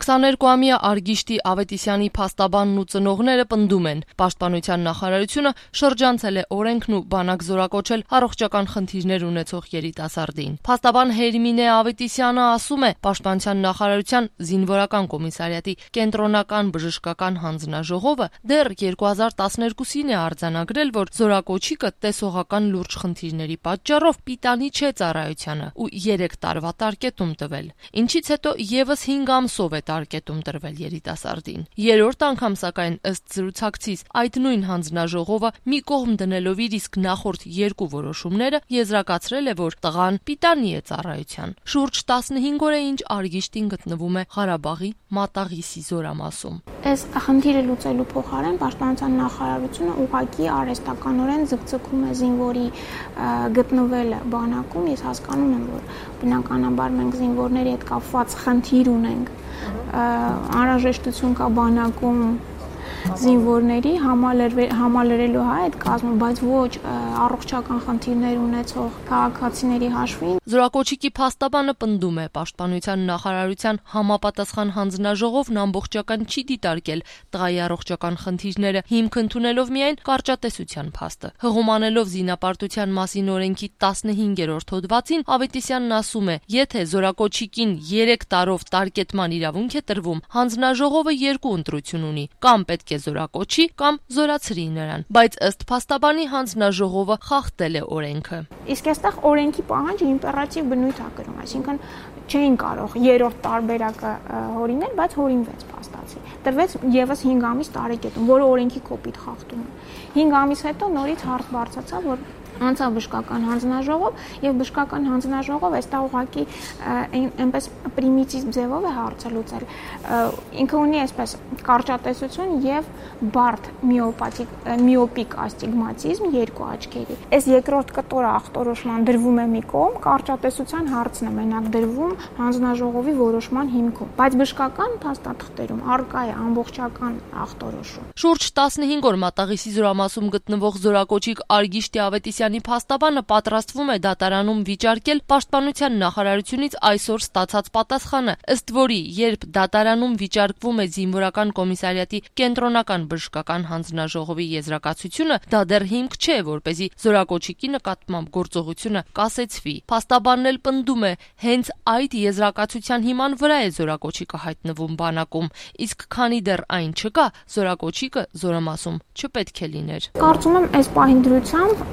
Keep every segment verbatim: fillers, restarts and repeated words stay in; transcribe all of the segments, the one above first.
քսաներկուամյա Արգիշտի Ավետիսյանի փաստաբանն ու ծնողները պնդում են, Պաշտպանության նախարարությունը շրջանցել է օրենքն ու բանակ զորակոչել առողջական խնդիրներ ունեցող երիտասարդին։ Փաստաբան Հերմինե Ավետիսյանը ասում է, Պաշտպանության նախարարության զինվորական կոմիսարիատի կենտրոնական բժշկական հանձնաժողովը դեռ երկու հազար տասներկուսին է արձանագրել, որ զորակոչիկը տեսողական լուրջ խնդիրների պատճառով պիտանի չէ ծառայությանը ու երեք տարվա տարկետում տվել, ինչից հետո եւս հինգ ամսով է տարկետում տրվել երիտասարդին։ Երրորդ անգամ սակայն ըստ զրուցակցիս այդ նույն հանձնաժողովը մի կողմ դնելով իր իսկ նախորդ երկու որոշումները եզրակացրել է, որ տղան պիտանի է ծառայության։ Շուրջ տասնհինգ օր է ինչ Արգիշտին գտնվում է Ղարաբաղի Մատաղիսի զորամասում։ Այս խնդիրը լուծելու փոխարեն Պաշտպանության նախարարությունը ուղղակի արհեստականորեն ձգձգում է զինվորի գտնվելը բանակում։ Ես հասկանում եմ, որ բնականաբար մենք զինվորների հետ կապված խնդիր ունենք, անհրաժեշտություն կա բանակում զինվորների համալրելու այդ կազմը, բայց ոչ առողջական խնդիրներ ունեցող քաղաքացիների հաշվին։ Զորակոչիկի փաստաբանը պնդում է, Պաշտպանության նախարարության համապատասխան հանձնաժողովն ամբողջական չի դիտարկել տղայի առողջական խնդիրները, հիմք ընդունելով միայն կարճատեսության փաստը։ Հղումանելով զինապարտության մասին օրենքի տասնհինգերորդ հոդվածին, Ավետիսյանն ասում է, եթե զորակոչիկին երեք տարով տարկետման իրավունք է տրվում, հանձնաժողովը երկու ընտրություն ունի, կամ պետք է զորակոչի, կամ զորացրի նրան, բայց ըստ փաստաբանի հանձնաժողովը խախտել է օրենքը։ Իսկ այստեղ օրենքի պահանջը իմպերատիվ բնույթ է կրում, այսինքն չէին կարող երրորդ տարբերակը հորինել, բայց հորինվեց փաստացի։ Տրվեց եւս հինգ ամիս տարեկետում, որը օրենքի կոպիտ խախտում է։ հինգ ամիս հետո նորից հարց բարձրացավ, որ անցավ բժշկական հանձնաժողով եւ բժշկական հանձնաժողով այստեղ ուղղակի այնպես պրիմիտիվ ձևով է հարցը լուծել։ Ինքը ունի այսպես կարճատեսություն եւ բարդ միոպաթիկ միոպիկ աստիգմատիզմ երկու աչքերի։ Այս երկրորդ կտորը ախտորոշման դրվում է մի կողմ, կարճատեսության հարցն է մենակ դրվում հանձնաժողովի որոշման հիմքում, բայց բժշկական փաստաթղթերում առկա է ամբողջական ախտորոշում։ Շուրջ տասնհինգ օր Մատաղիսի զորամասում գտնվող զորակոչիկ Արգիշտի Ավետիսյանի փաստաբանը պատրաստվում է դատարանում վիճարկել Պաշտպանության նախարարությունից այսօր ստացած պատասխանը, ըստ որի, երբ դատարանում վիճարկվում է զինվորական կոմիսարիատի կենտրոնական բժշկական հանձնաժողովի եզրակացությունը, դա դեռ հիմք չէ, որպեսզի զորակոչիկի նկատմամբ գործողությունը կասեցվի։ Փաստաբանն էլ պնդում է, հենց այդ եզրակացության հիման վրա է զորակոչիկը հայտնվում բանակում, իսկ քանի դեռ այն չկա, զորակոչիկը զորամասում չպետք է լիներ։ Կարծում եմ, այս պահին դրությամբ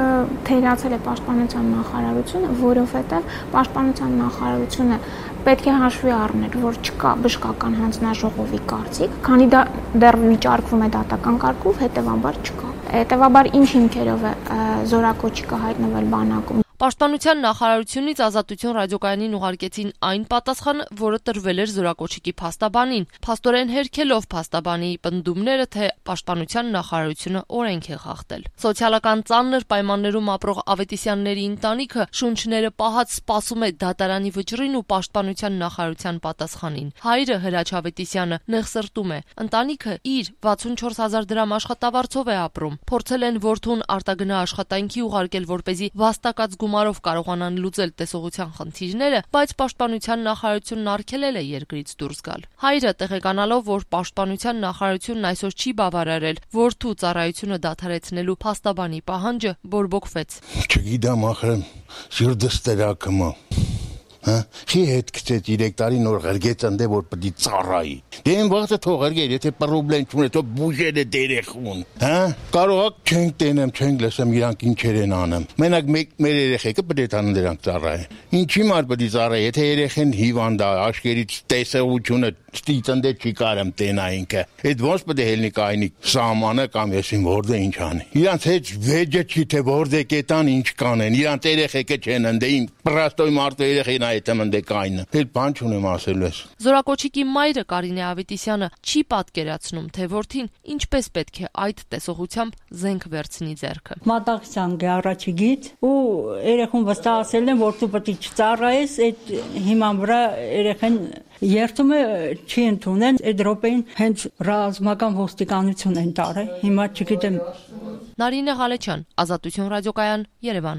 թերացել է Պաշտպանության նախարարությունը, որովհետև Պաշտպանության նախարարությունը պետք է հաշվի առնել, որ չկա բժշկական հանձնաժողովի կարծիք, քանի դա դեռ վիճարկվում է դատական կարգով, հետևաբար չկա։ Հետևաբար ինչ հիմքերով է զորակոչիկը հայտնվել բանակում։ Պաշտպանության նախարարությունից Ազատություն ռադիոկայանին ուղարկեցին այն պատասխանը, որը տրվել էր զորակոչիկի փաստաբանին, փաստորեն հերքելով փաստաբանի պնդումները, թե Պաշտպանության նախարարությունը օրենք է խախտել։ Սոցիալական ծանր պայմաններում ապրող Ավետիսյանների ընտանիքը շունչները պահած սպասում է դատարանի վճռին ու Պաշտպանության նախարարության պատասխանին։ Հայրը Հրաչ Ավետիսյանը նեղսրտում է։ Ընտանիքը իր վաթսունչորս հազար դրամ աշխատավարձով է ապրում։ Փորձել են որդուն արտագնա աշխատանքի ուղարկել, որպեսզի վաստակած գումարով կարողանան լուծել տեսողության խնդիրները, բայց Պաշտպանության նախարարությունն արգելել է երկրից դուրս գալ։ Հայրը տեղեկանալով, որ Պաշտպանության նախարարությունն այսօր չի բավարարել որդու ծառայությունը դադարեցնելու փաստաբանի պահանջը, բորբոքվեց։ Չգիտեմ, ախր սիրտս տրակում է։ Հա, չի հետ գցեց երեք տարի նոր ղրգեց ընդ որ պետք է ծառայի։ Դե այն վաղը թող ղրգեր, եթե պրոբլեմ չունի, թող բուժերը դերեխուն։ Հա, կարող չենք տենեմ, չենք լսեմ իրանք ինչեր են անում։ Մենակ մեր երեխեքը պետք է տան դրանք ծառայեն։ Ինչի մար պետք է ծառայի, եթե երեխեն հիվանդ է, աշկերից տեսողությունը ստիծնդե չի կարեմ տենա ինքը։ Այդ ոնց պետք է հելնի կայնի սահմանը կամ եսին որդե ինչ անի։ Իրանց հետ վեճը չի թե որդե կետան ինչ կանեն։ Իրանց երեխեքը չեն ընդ իմ պրաստոյ մարդու երեխին այդտեղ ընդ կայնը։ Էլ բան չունեմ ասելու ես։ Զորակոչիկի մայրը Կարինե Ավետիսյանը չի պատկերացնում, թե որդին ինչպես պետք է այդ տեսողությամբ զենք վերցնի ձեռքը։ Մատաղիսյան գարաչի գիծ ու երեխուն վստահացել են, որ դու պետք է չծառայես, այդ հիման վրա երեխան երթում է չի ընդունեն, այդ րոպեին հենց ռազմական ոստիկանություն են տարել։ Հիմա չգիտեմ։ Նարինե Ղալեչյան, Ազատություն ռադիոկայան, Երևան։